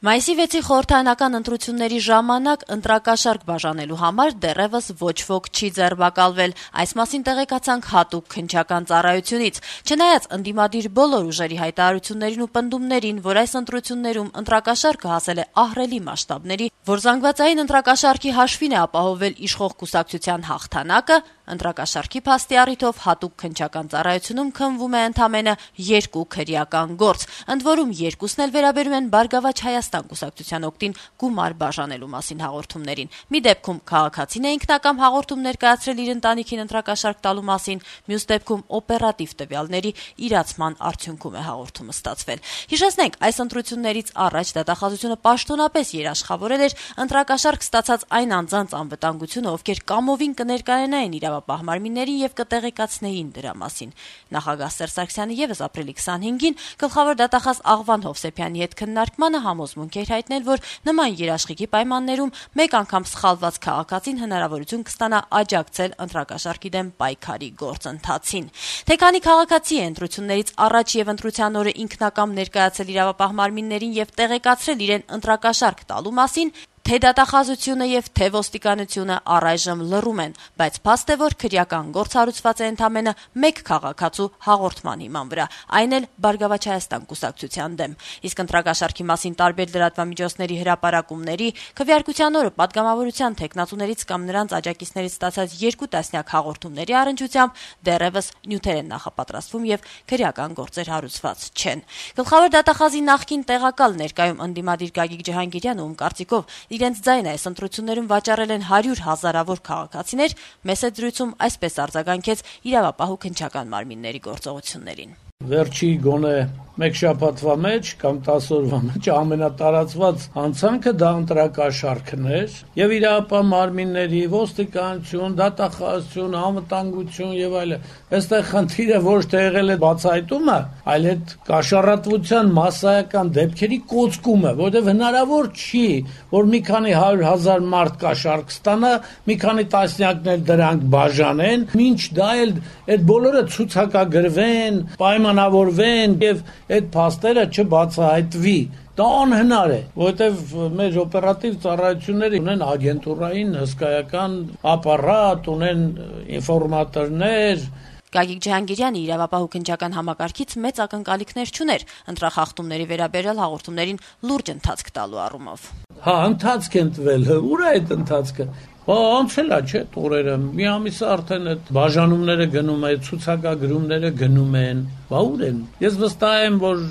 Մայիսի 6-ի խորհրդարանական ընտրությունների ժամանակ ընտրակաշառք բաժանելու համար դեռևս ոչ ոք չի ձերբակալվել։ Այս մասին տեղեկացանք հատուկ քննչական ծառայությունից։ Չնայած ընդդիմադիր բոլոր ուժերի հայտարարություններին ու պնդումներին, որ այս ընտրություններում ընտրակաշառքը հասել է ահռելի մասշտաբների, որ զանգվածային ընտրակաշառքի հաշվին է ապահովել իշխող կուսակցության հաղթանակը, ընտրակաշառքի փաստի առիթով հատուկ քննչական ծառայությունում քննվում է ընդամենը 2 քրեական գործ, ընդ որում երկուսն էլ վերաբերում են Բարգավաճ Հայաստան կուսակցության օգտին գումար բաժանելու մասին հաղորդումներին։ Մի դեպքում քաղաքացին է ինքնակամ հաղորդում ներկայացրել իր ընտանիքին ընտրակաշառք տալու մասին, մյուս դեպքում օպերատիվ տվյալների իրացման արդյունքում է հաղորդումը ստացվել։ Հիշեցնենք, այս ընտրություններից առաջ դատախազությունը պաշտոնապես երաշխավորել էր ընտրակաշառք ստացած այն անձանց անվտանգությունը, ովքեր կամովին կներկայանային իրավապահ մարմիններին եւ կտեղեկացնեին դրա մասին։ Նախագահ Սերժ Սարգսյանը եւս ապրիլի 25-ին գլխավոր դատախազ Աղվան Հովսեփյանի հետ քննարկմանը համոզմունք էր հայտնել, որ նման երաշխիքի պայմաններում մեկ անգամ սխալված քաղաքացին հնարավորություն կստանա աջակցել ընտրակաշառքի դեմ պայքարի գործընթացին։ Թե քանի քաղաքացի է ընտրություններից առաջ եւ ընտրության օրը ինքնակամ ներկայացել իրավապահ մարմիններին եւ տեղեկացրել իրեն ընտրակաշառք տալու մասին, թե դատախազությունը եւ թե ոստիկանությունը առայժմ լռում են, բայց փաստ է, որ քրեական գործ հարուցված է ընդամենը 1 քաղաքացու հաղորդման հիման վրա, այն էլ Բարգավաճ Հայաստան կուսակցության դեմ։ Իսկ ընտրակաշառքի մասին տարբեր լրատվամիջոցների հրապարակումների, քվեարկության օրը պատգամավորության թեկնածուներից կամ նրանց աջակիցներից ստացած 2 տասնյակ հաղորդումների առնչությամբ դեռևս նյութեր են նախապատրաստվում եւ քրեական գործեր հարուցված չեն։ Գլխավոր դատախազի նախկին տեղակալ ներկայում ընդդիմադիր Գագիկ Ջհանգիրյանը, ում կարծիքով իրենց ձայնը այս ընտրություններում վաճառել են 100 հազարավոր քաղաքացիներ, մեծ զրույցում այսպես արձագանքեց իրավապահ ու քննչական մարմինների գործողություններին։ Վերջի գոնե 1 շաբաթվա մեջ կամ 10 օրվա մեջ ամենատարածված հանցանքը դա ընտրակաշառքն էր եւ իրավապահ մարմինների, ոստիկանություն, դատախազություն, անվտանգություն եւ այլն։ Այստեղ խնդիրը ոչ թե եղել է բացահայտումը, այլ այդ կաշառատվության մասսայական դեպքերի կոծկումը, որովհետեւ հնարավոր չի, որ մի քանի 100,000 մարդ կաշառք ստանա, մի քանի տասնյակներ դրանք բաժանեն, ինչ դա էլ այդ բոլորը ցուցակագրվեն, պայմանավորվեն եւ այդ փաստերը չբացահայտվի։ Դա անհնար է, որովհետև մեր օպերատիվ ծառայությունները ունեն ագենտուրային հսկայական ապարատ, ունեն ինֆորմատորներ։ Գագիկ Ջհանգիրյանը իրավապահ ու քննչական համակարգից մեծ ակնկալիքներ չուներ ընտրախախտումների վերաբերյալ հաղորդումներին լուրջ ընթացք տալու առումով։ Ընթացք են տվել, ուր է այդ ընթացքը։ Անցել է, չէ, տուրերը, մի ամիս արդեն այդ բաժանումները գնում է, ցուցակագրումները գնում են, ուր են։ Ես վստահ եմ, որ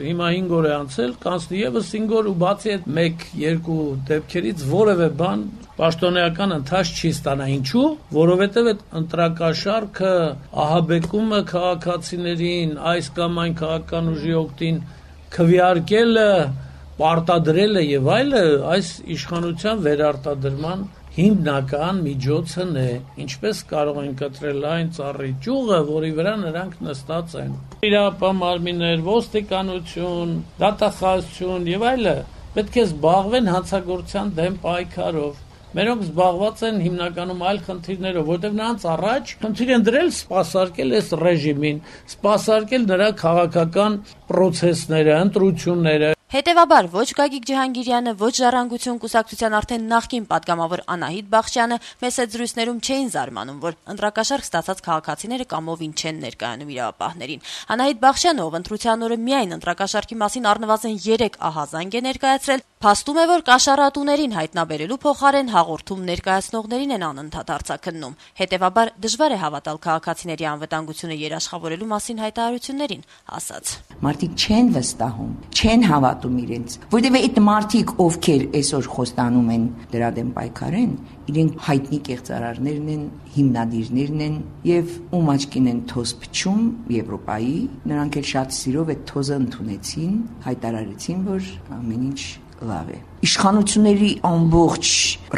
հիմա 5 օր է անցել, կանցնի եւս 5 օր ու բացի այդ 1-2 դեպքերից որևէ բան պաշտոնեական ընթաց չի ստանա։ Ինչու՞, որովհետեւ այդ ընտրակաշառքը ահաբեկումը քաղաքացիներին, այս կամ այն քաղաքական ուժի օգտին քվեարկելը, պարտադրելը եւ այլը այս իշխանության վերարտադրման հիմնական միջոցն է, ինչպես կարող են կտրել այն ծառի ճյուղը, որի վրա նրանք նստած են։ Իրավապահ մարմիններ, ոստիկանություն, դատախազություն եւ այլը պետք է զբաղվեն հանցագործության դեմ պայքարով։ Մերոնք զբաղված են հիմնականում այլ խնդիրներով, որտեղ նրանց առաջ խնդիր են դրել սպասարկել այս ռեժիմին, սպասարկել նրա քաղաքական պրոցեսները, ընտրությունները։ Հետևաբար ոչ Գագիկ Ջհանգիրյանը, ոչ Ժառանգություն կուսակցության արդեն նախկին պատգամավոր Անահիտ Բախշյանը մեծ զրույցներում չէին զարմանում, որ ընտրակաշառք ստացած քաղաքացիները կամովին չեն ներկայանում իրավապահներին։ Անահիտ Բախշյանը, ով ընտրության օրը միայն ընտրակաշառքի մասին առնվազն 3 ահազանգ է ներկայացրել, փաստում է, որ կաշառատուներին հայտնաբերելու փոխարեն հաղորդում ներկայացնողներին են անընդհատ արձակննում։ Հետևաբար դժվար է հավատալ քաղաքացիների անվտանգությունը երաշխավորելու մասին հայտարարություններին, ասաց. Մարդիկ չեն վստահում, չեն հավատում իրենց, որտեղ այդ մարդիկ, ովքեր այսօր խոստանում են դրա դեմ պայքարեն, իրենք հայտնի կեղծարարներն են, հիմնադիրներն են եւ ում աչքին են թոզ փչում Եվրոպայի, նրանք էլ շատ սիրով այդ թոզը ընդունեցին, հայտարարեցին, որ ամեն ինչ լավ է։ Իշխանությունների ամբողջ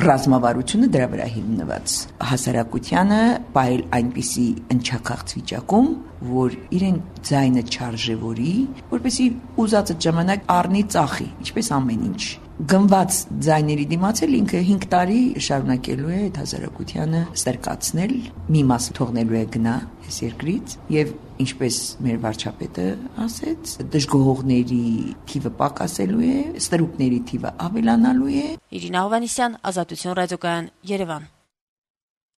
ռազմավարությունը դրա վրա հիմնված։ Հասարակությանը բայել այնպիսի ընչաքաղց վիճակում, որ իրեն ձայնը չարժևորի, որպեսզի ուզածը ժամանակ առնի ծախի, ինչպես ամեն ինչ։ գնված ձայների դիմացել ինքը 5 տարի շարունակելու է այդ հասարակությանը ստրկացնել, մի մասը թողնելու է գնա այս երկրից եւ ինչպես մեր վարչապետը ասեց, դժգոհողների թիվը պակասելու է, ստրուկների թիվը ավելանալու է։ Իրինա Հովհաննիսյան, Ազատություն ռադիոկայան, Երևան։